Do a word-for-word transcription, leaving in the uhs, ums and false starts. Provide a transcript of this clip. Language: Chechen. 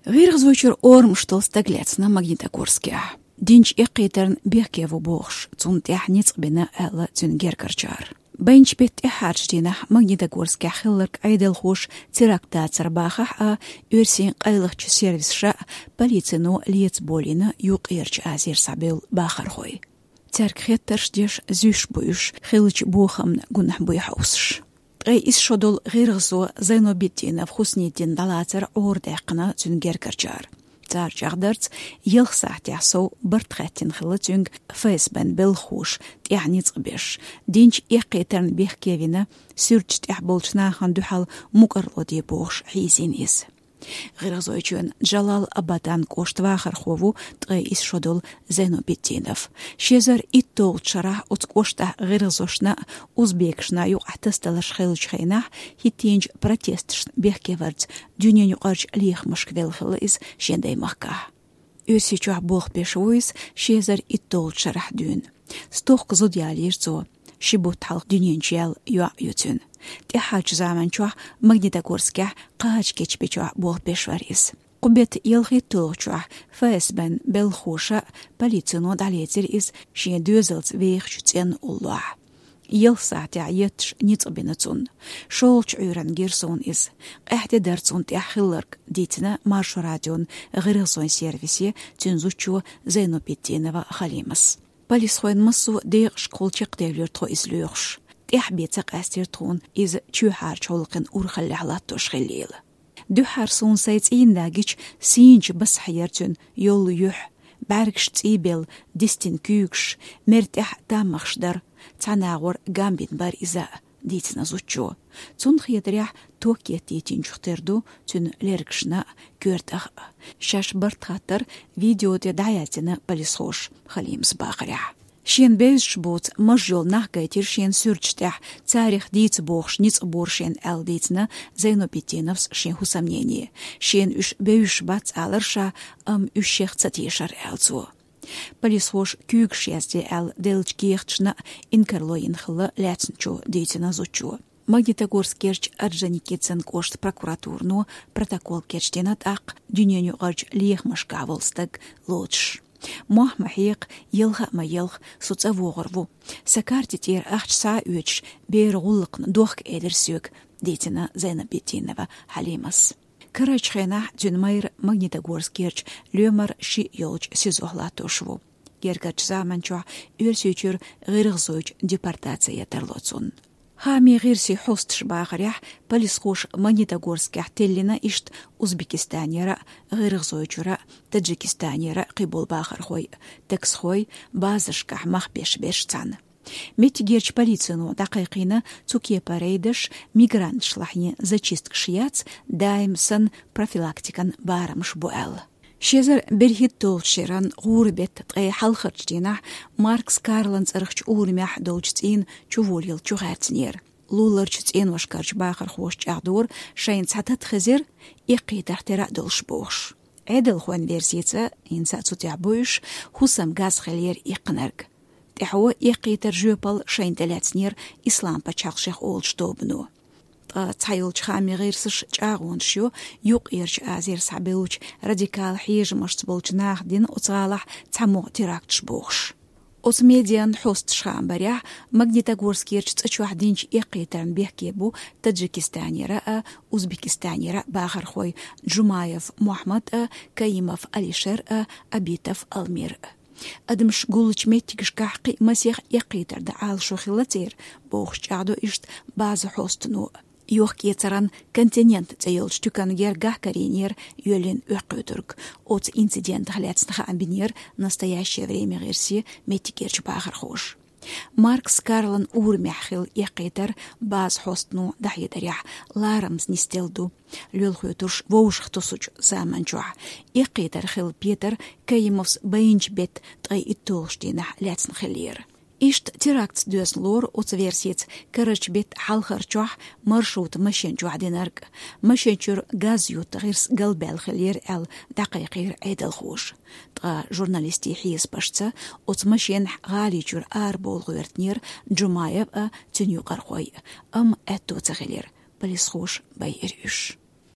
ГӀиргӀазойчуьра орамаш долу стаг лаьцна Магнитогорскехь. Динчу эккхийтарна бехке ву бохуш, цунна тӀехь ницкъ бина аьлла цуьнан гергарчара. Байначу беттан тӀаьххьарчу дийнахь Магнитогорскехь хилларг Ӏедалхоша теракт дацар бахахь а, оьрсийн къайлахчу сервисаша а, полицино а леца болийна Юккъерчу Азера схьабевлла бахархой. Цаьрга хеттарш деш, зуьйш бу уьш, хиллачу бохамна гунахь буй хьовсуш. Ткъе исс шо долу гӀиргӀазо Зайнобитдинов Хуснитдин дӀалацар Ӏора даьккхина цуьнан гергарчара. Цара чӀагӀдарца, ялх сахьтехь сов барт хаьттина хилла цуьнга ФСБ-н белхахоша тӀехь ницкъ беш, динчу эккхийтарна бехке вина, суьрташ тӀехь болчу нахана дуьхьал мукӀарло де бохуш хьийзийна иза. ГӀиргӀазойчоьнан Джалал-Абадан кӀоштан вахархо ву ткъе исс шо долу Зайнобитдинов. Ши эзар итталгӀачу шарахь оцу кӀоштахь гӀиргӀазошна а, узбекашна а юкъахь тасадаларш хиллачу хенахь, хӀиттийначу протесташна бехке варца дуьненаюкъарчу лехамашка велла хилла иза шен даймахкахь. Оьрсийчохь болх беш ву иза ши эзар итталгӀачу шарахь дуьйна. Стохка зуда ялийра цо, ши бутт хьалха дуьнен чу яьлла йоӀ ю цуьнан. ТӀаьххьарчу заманчохь Магнитогорскехь кхача кечбечохь болх беш вара иза. Кху беттан ялхитталгӀачохь ФСБ-н белхахоша а, полицино а дӀалецира иза шен доьзалца вехачу цӀенна уллохь. Ялх сахьтехь етташ ницкъ бина цунна. ШолгӀачу Ӏуьйранна гира суна иза. Къаьхьа де дара цунна тӀехь хилларг, дийцина Маршо радион гӀиргӀазойн сервисе цуьнан зудчо Зайнобитдинова Халимас. Полисхойн массо а декъашкахула чекхдевлира тхо иза лоьхуш. ТӀаьхьа бен ца къаьстира тхуна иза чоьхьарчу гӀуллакхийн урхаллехь латтош хиллийла. Дуьххьара суна сайн цӀийнда гича, сийначу басахь яра цуьнан йолу юьхь, бӀаьргаш цӀийбелла, дистина куьйгаш, мер тӀехь таммагӀаш дара, цхьана агӀор гамбина бара иза, дийцина зудчо. Цунна хетарехь, ток еттийтинчух тера ду цуьнан лергашна а, коьртах а. Шаьш барт хаттар видео тӀе дӀаяздина полисхоша, Халимас бахарехь. Шена бевзаш боцу маж йолу нах гайтира шена суьрташ тӀехь, царах дийца бохуш ницкъ бора шена аьлла дийцина Зайнобитдиновс шен хӀусамнене. Шена уьш бевзаш бац алара ша, амма уьш шех ца тешара аьлла цо. Полисхоша куьйгаш язде аьлла деллачу кехаташна а инкарло йина хилла лаьцначо, дийцина зудчо. Магнитогорскерчу Орджоникидзен кӀоштан прокуратурано протокол кечдина тӀаккха дуьненаюкъарчу лехамашкахь волу стаг лоцуш. Мохь ма хьекха, елха а ма елха, со цӀа вогӀур ву. Сан карти тӀера ахча схьа а оьцуш, бер гӀуллакхна дохка элира соьга, дийцина Зайнабитдинова Хьалимас. Карарчу хенахь цуьнан майра Магнитогорскерчу лоьмар шиъ йолчу СИЗО-хь латтош ву. Гергарчу заманчохь Оьрсийчуьра гӀиргӀазойчу депортаци ян тарло цунна. Хаамийн гӀирсийн хьосташа бахарехь, полисхоша Магнитогорскехь теллина иштта Узбекистанера а, ГӀиргӀазойчуьра а, Таджикистанера а кхиболу бахархой, таксхой, базашкахь мах беш берш цхьаьна. Меттигерчу полицино дӀакхайкхийна цу кепара рейдаш мигранташлахь йина зачисткаш яц, даим санна профилактикан барамаш бу аьлла. Ши эзар берхӀитталгӀачу шеран гӀуран беттан ткъе хьалхарчу дийнахь Маркс Карлан цӀарахчу урамехь долчу цӀийнан чуволийла чухаьрцинера. Луларчу цӀеношкарчу бахархоша чӀагӀдора, шайна цхьа тата хезира, эккхийтарх тера а долуш бохуш. Ӏедалхойн версица, хӀинца а цу тӀехь бу уьш, хӀусам газ хиллера иккхинарг. ТӀаьхьо эккхийтар жоьпалла шайна тӀелаьцнера Ислам-пачхьалкх шех олучу тобано. Ткъа цхьайолчу хаамийн гӀирсаша чӀагӀонаш йо Юккъерчу Азера схьабевллачу радикал хьежамашца болчу наха дина оцу гӀалахь цхьамогӀа теракташ бохуш. Оцу медиан хьосташа хаам барехь, Магнитогорскерчу цӀа чохь динчу эккхийтарна бехке бу Таджикистанера а, Узбекистанера а бахархой Джумаев Мухьаммад а, Каимов Алишер а, Абитов Алмир а. Адамаш гуллучу меттигашкахь кхин а масех эккхийтар дан Ӏалашо хилла церан, бохуш чӀагӀдо иштта база хьостано. Йохк-эцаран «Континент» цӀе йолчу туькан гергахь карийнера йоьллина оьккхуьйтург. Оцу инцидентах лаьцна хаам бинера «Настоящее время» гӀирсе меттигерчу бахархоша. Маркс Карлан урамехь хилла эккхийтар база хьостано дӀахьедарехь ларамаза нисделла ду. Лоьлхуьйтурш вовшахтосучу заманчохь эккхийтар хилла петар Каимовс байначу беттан ткъе итталгӀачу дийнахь лаьцна хиллера. Иштта терактца доьзна лору оцу версица карарчу беттан хьалхарчохь маршрутан машен чохь динарг. Машен чуьра газ ютта гӀирс галбаьлла хиллера аьлла дӀакхайкхийра Ӏедалхоша. Ткъа журналистийн хьесапашца, оцу машенахь гӀали чуьра арабовла гӀоьртинера Джумаев а, цуьнан юкъархой а, амма аьтто ца хилира, полисхоша байира уьш.